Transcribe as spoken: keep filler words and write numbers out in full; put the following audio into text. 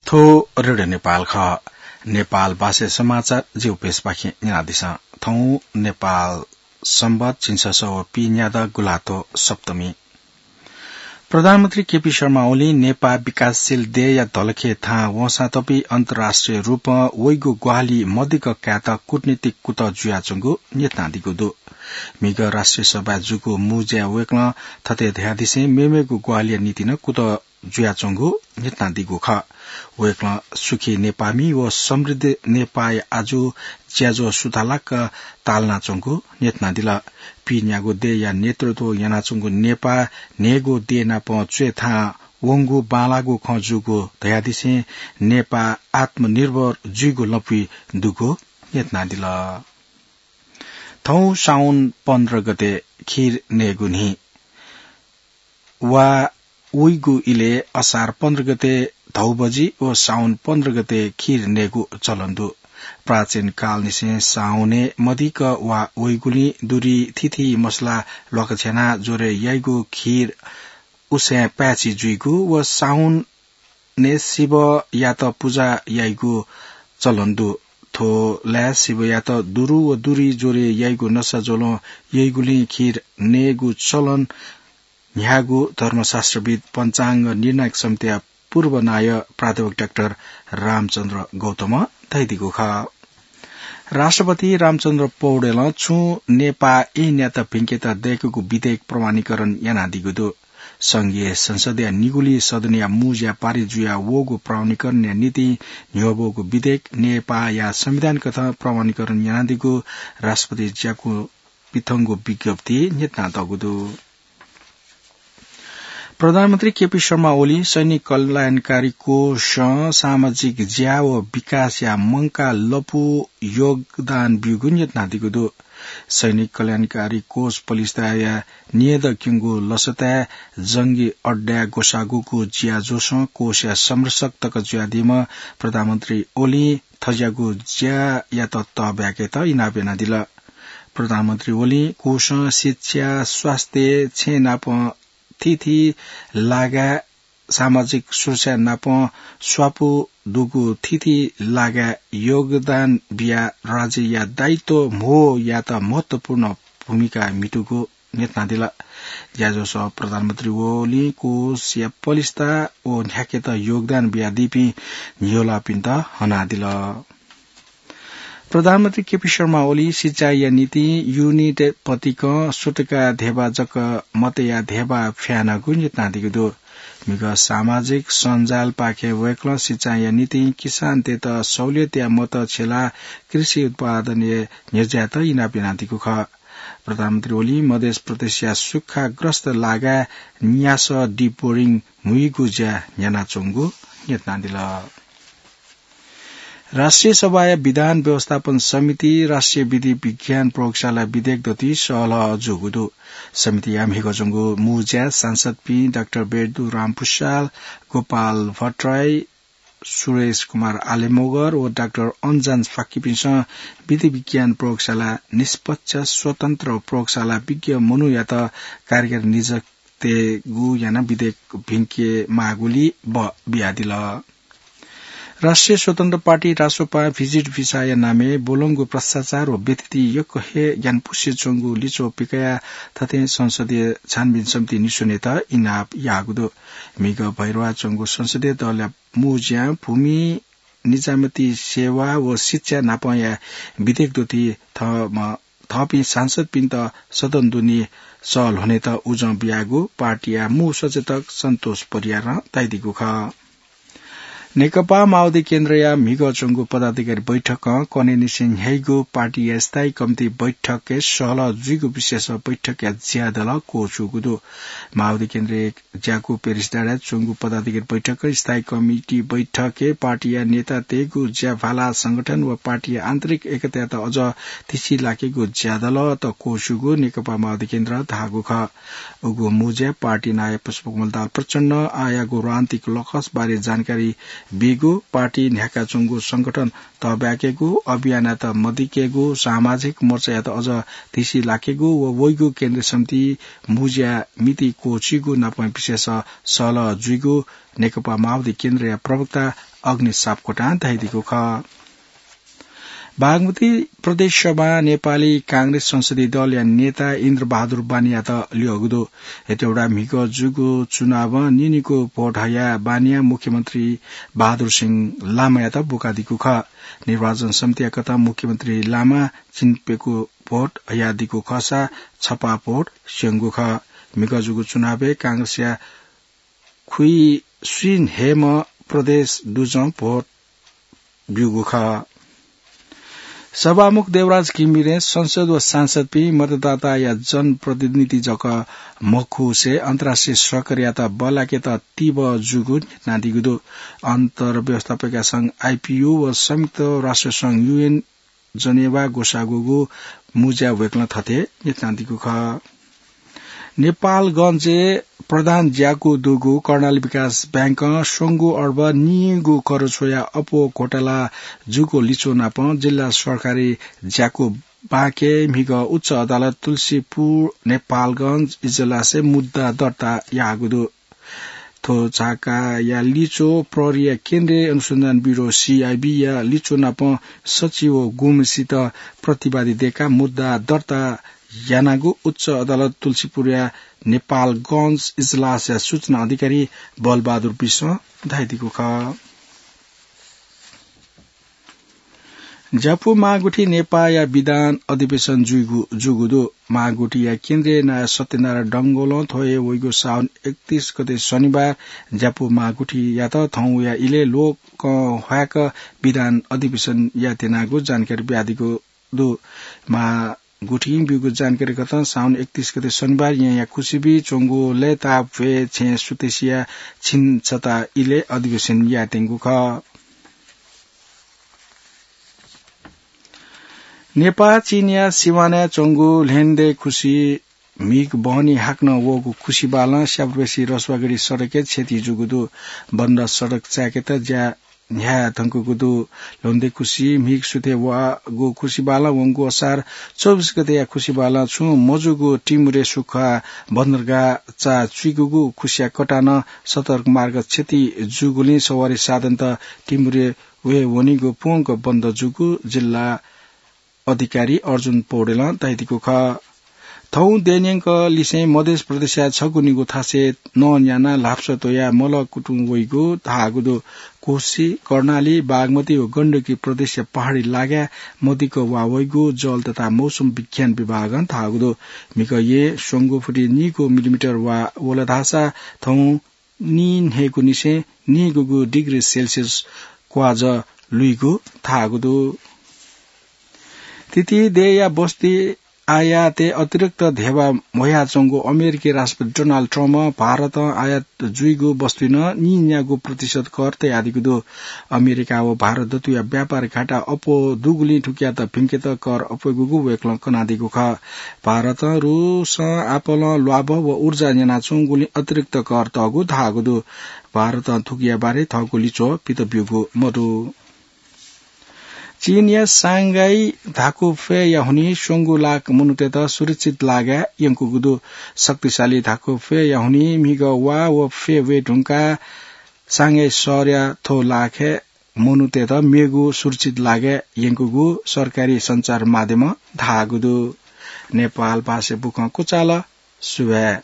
थ्व रेडियो नेपाल खः। नेपाल भाषाय् समाचार जिगु पेजपाखें न्यनादिसँ। थौं नेपाल संवत् झिंछसः व पीन्यादँ गुल्हाथ्व सप्तमी। प्रधानमन्त्री केपी शर्मा ओलीं नेपाः विकासशील देय्‌या धलखे थाहां वंसां तपि अन्तर्राष्ट्रिय रूपं वइगु ग्वाहालि मदिक्क कायेत कूटनीतिक कुतः जुयाच्वंगु न्ह्यथनादीगु दु। म्हिगः राष्ट्रिय सभाय् जूगु मू ज्याय् वय्‌कलं थथे धयादिसें मेमेगु ग्वाहालिया निंतिं नं कुतः जुयाच्वंगु न्ह्यथनादीगु खः। वय्‌कलं सुखी नेपाःमि व समृद्ध नेपाःया आजु ज्याझ्वः सुथालाक तालानाच्वंगु न्ह्यथनादिल। पीन्यागु देय्‌या नेतृत्व यानाच्वंगु नेपाः न्हय्‌गू देय् नाप च्वय् थाहां वंगु बांलाःगु खँ जूगु धयादिसें नेपाः आत्मनिर्भर जुइगु लँपुइ दुगु न्ह्यथनादिल। थौं साउन पन्ध्र गते खीर नयेगु न्हि। वा उइगु इलय् असार पन्ध्र गते धौबजि व साउन पन्ध्र गते खीर नयेगु चलन दु। प्राचीन कालनिसें साउनय् मदिक्क वा उइगुलिं दुरी थीथी मसला ल्वाकछ्यानाः ज्वरय् याइगु खीर उसय् पाय्‌छि जुइगु व साउनय् शिवयात पुजा याइगु चलन दु। थ्व लाय् शिवयात दुरु व दुरी ज्वरय् याइगु नसा ज्वलं याइगुलिं खीर नयेगु चलन न्ह्याःगु धर्मशास्त्रविद् पञ्चाङ्ग निर्णायक समितिया पूर्व नायः प्राध्यापक डाक्टर रामचन्द्र गौतमं धयादीगु खः। राष्ट्रपति रामचन्द्र पौडेलं छुं नेपाः ऐनयात भिंकेत दय्‌कूगु विधेयक प्रमाणीकरण यानादीगु दु। संघीय संसदया निगुलिं सदनया मू ज्या पारित जुया वःगु प्रमाणीकरणया निंतिं न्ह्यब्वःगु विधेयक नेपाःया संविधान कथं प्रमाणीकरण यानादीगु राष्ट्रपति ज्याकू पिथंगु विज्ञप्तिइ न्ह्यथनातःगु दु। प्रधानमन्त्री केपी शर्मा ओलीं सैनिक कल्याणकारी कोषं सामाजिक ज्या व विकासया मंकाः लँपु योगदान ब्यूगु न्ह्यथनादीगु दु। सैनिक कल्याणकारी कोष पलिस्ताया न्येदँ क्यंगु लसताय् जंगी अड्डाय् ग्वसाःगुगु ज्याझ्वःसं कोषया संरक्षक तक जुयादीम्ह प्रधानमन्त्री ओलीं थज्याःगु ज्यायात तःब्याकेत इनाप यानादिल। प्रधानमन्त्री ओलीं कोषं शिक्षा, स्वास्थ्य, छेँ नाप थीथी लागाय् सामाजिक सुरक्षा नाप स्वापू दुगु थीथी लागाय् योगदान बियाः राज्यया दायित्व म्हो यायेत महत्वपूर्ण भूमिका म्हितूगु न्ह्यथनादिल। ज्याझ्वःसं प्रधानमन्त्री ओलीं कोषया पलिस्ता व न्ह्याकेत योगदान बियादीपिं न्ह्यलपिन्त हनादिल। प्रधानमन्त्री केपी शर्मा ओली सिँचाइया निंतिं युनिट पतिकं सुतुका धेबा जक मतया धेबा फ्यानागु न्ह्यथनादीगु दु। म्हिगः सामाजिक सञ्जालपाखें वय्कलं सिँचाइया निंतिं किसानतय्त सहुलियतया मत छ्यलाः कृषि उत्पादनय् न्ह्यज्यायेत इनाप यानादीगु खः। प्रधानमन्त्री ओलीं मधेस प्रदेशया सुक्खाग्रस्त लागाय् न्यासः deep boring म्हुइगु ज्या न्ह्यानाच्वंगु न्ह्यथनादिल। राष्ट्रिय सभाया विधान व्यवस्थापन समिति राष्ट्रिय विधि विज्ञान प्रयोगशाला विधेयक दथुइ सहलह जूगु दु। समितिया म्हिगः च्वंगु मू ज्याय् सांसदपिं डाक्टर बेर्दु रामपुच्छाल, गोपाल भट्टराई, सुरेश कुमार आलेमगर व डाक्टर अन्जान फाक्कीपिन्सं विधि विज्ञान प्रयोगशाला निष्पक्ष, स्वतन्त्र व प्रयोगशाला विज्ञ मनूयात कार्यकारी निजतेगु यानाः विधेयक भिंके माःगुलिइ ब बियादिल। राष्ट्रिय स्वतन्त्र पार्टी रासोपां भिजिट भिसाया नामय् ब्वलंगु भ्रष्टाचार व व्यथिति यक्व हे ग्यानापुसे च्वंगु लिच्वः पिकयाः थथे संसदीय छानबिन समिति निस्वनेत इनाप याःगु दु। म्हिगः भैरवाः च्वंगु संसदीय दलया मू ज्यां भूमि, निजामती सेवा व शिक्षा नापंया विधेयक दथुइ थःम्ह थःपिं सांसदपिन्त सदन दुने सः ल्ह्वनेत उजं बियागु पार्टीया मू सचेतक सन्तोष परियारं धयादीगु खः। नेकपा माओवादी केन्द्रया म्हिगः च्वंगु पदाधिकारी बैठकं कन्हय्निसें न्ह्याइगु पार्टीया स्थायी कमिटी बैठकय् सहलह जुइगु विषयस बैठकया ज्यादलं क्वःछूगु दु। माओवादी केन्द्रया ज्याकू पेरिस डाँडाय् च्वंगु पदाधिकारी बैठकं स्थायी कमिटी बैठकय् पार्टीया नेतातय्गु ज्याभाला, संगठन व पार्टीया आन्तरिक एकतायात अझ तिसि लाकेगु ज्यादलंत क्वःछूगु नेकपा माओवादी केन्द्रं धाःगु खः। उगु मू ज्याय् पार्टी नायः पुष्पकमल दाहाल प्रचण्डं आःयागु रणनीतिक लकस बारे जानकारी बीगु, पार्टी न्ह्याकाच्वंगु संगठन तःब्याकेगु, अभियानयात मदिकेगु, सामाजिक मोर्चायात अझ तिसि लाकेगु व वइगु केन्द्रीय समिति मू ज्याया मिति क्वःछीगु नापं विषयस सहलह जुइगु नेकपा माओवादी केन्द्रया प्रवक्ता अग्नि सापकोटां धयादीगु खः। बागमती प्रदेश सभा नेपाली कांग्रेस संसदीय दलया नेता इन्द्र बहादुर बानियात ल्यःगु दु। हेटौडा म्हिगः जूगु चुनावं निनिगू भोट हयाः बानियां मुख्यमन्त्री बहादुर सिंह लामायात बुकादीगु खः। निर्वाचन समितिया कथं मुख्यमन्त्री लामा चिन्प्यकू भोट हयादीगु खःसा छपा भोट स्यंगु खः। म्हिगः जूगु चुनावय् कांग्रेसया खुइसुइन हेम प्रदेश दुजं भोट ब्यूगु खः। सभामुख देवराज घिमिरें संसद व सांसदपिं मतदाताया जनप्रतिनिधि जक मखुसे अन्तर्राष्ट्रिय सहकारीयात बल्लाकेत तीव्र जूगु न्ह्यथनादीगु दु। अन्तर्व्यवस्थापकया संघ आइपियू व संयुक्त राष्ट्र संघ युएन जनेवा ग्वसाःगुगु मुँज्या वय्कलं थथे न्ह्यथनादीगु खः। नेपालगंजय् प्रधान ज्याकू दुगु कर्णाली विकास बैंकं स्वंगू अर्ब निगू करोड स्वया अप्वः घोटाला जूगु लिच्वः नापं जिल्ला सरकारी ज्याकू बाँके म्हिगः उच्च अदालत तुलसीपुर नेपालगंज इजलासय् मुद्दा दर्ता याःगु दु। थ्व झाकाया लिच्वः प्रहरीया केन्द्रीय अनुसन्धान ब्यूरो, सीआइबी, या लिच्वः नापं सचिव व गुम्हसित प्रतिवादी दय्काः मुद्दा दर्ता यानागु उच्च अदालत तुलसीपुरया नेपालगंज इजलासया सूचना अधिकारी बलबहादुर विश्वं धयादीगु खः। ज्यापू महागुठी नेपाःया विधान अधिवेशन जुइगु, जूगु दु। महागुठीया केन्द्रीय नायः सत्यनारायण डंगोलं थ्व हे वइगु साउन एकतीस गते शनिबार ज्यापू महागुठीयात थौंया इलय् लोकं ह्वाय्क विधान अधिवेशन यायेत्यनागु जानकारी बियादीगु दु। महागुठीं ब्यूगु जानकारी कथं साउन एकतीस गते शनिबार येँया खुसिबी च्वंगु लय्ताप भ्वय् छेँ सुतेसिया छिन्छता इलय् अधिवेशन यायेत्यंगु खः। नेपाः चीनया सिमानाय् च्वंगु ल्हेन्दे खुसि म्हिगः बहनी हाकनं वःगु खुसिबालं स्याबारबेसी रसुवागढी सडकय् क्षति जूगु दु। बन्द सडक चाय्केत ज्या न्ह्याये धुंकूगु दु। ल्हेन्दे खुसि म्हिगः सुथय् वःगु खुसिबालं वंगु असार चौबिस गतेया खुसिबालं छुं मजूगु टिमुरे सुख्खा बन्दरगाह चाःचुइकूगु खुसिया कटानं सडक मार्ग क्षति जूगुलिं सवारी साधनत टिमुरे वये वनीगु प्वंक बन्द जूगु जिल्ला अधिकारी अर्जुन पौडेलं धयादीगु खः। थौं देय् न्यंक लिसें मध्य प्रदेशया छगू निगू थासय् नं न्यानाः ल्हापसः त्वयाः मलः कुतुं वइगु धाःगु दु। कोशी, कर्णाली, बागमती व गण्डकी प्रदेशया पहाडी लागाय् मदिक्क वा वइगु जल तथा मौसम विज्ञान विभागं धाःगु दु। म्हिगः येँ स्वंगू फुति नीगू मिलिमिटर वा वल धाःसा थौं नीन्हय्गू निसें नीगूगू डिग्री सेल्सियस क्वाजः लुइगु धाःगु दु। तितिदेया बस्ती आयातय् अतिरिक्त धेबा ह्वयाच्वंगु अमेरिकी राष्ट्रपति डोनाल्ड ट्रम्पं भारतं आयात जुइगु बस्तुइ नं नीन्यागू प्रतिशत कर तयादीगु दु। अमेरिका व भारत दथुया व्यापार घाटा अप्वः दुगुलिं थुकियात भिंकेत कर अप्वय्गूगु वय्कलं कनादीगु खः। भारतं रूसं आपालं ल्वाभः व ऊर्जा न्यनाच्वंगुलिं अतिरिक्त कर तःगु धाःगु दु। भारतं थुकिया बारे थःगु लिच्वः पित ब्यूगु मदु। चीनया सांघाई धाकुफ्वय्या हुनिं स्वंगू लाख मनूतय्त सुरक्षित लागाय् यंकूगु दु। शक्तिशाली धाकुफ्वय्या हुनिं म्हिगः वा व फ्वय् वये धुंकाः सांघाई शहरया थ्व लाखय् मनूतय्त मेगु सुरक्षित लागाय् यंकूगु सरकारी सञ्चार माध्यमं धाःगु दु। नेपाल भाषा बुखँ क्वचाल। सुभाय्।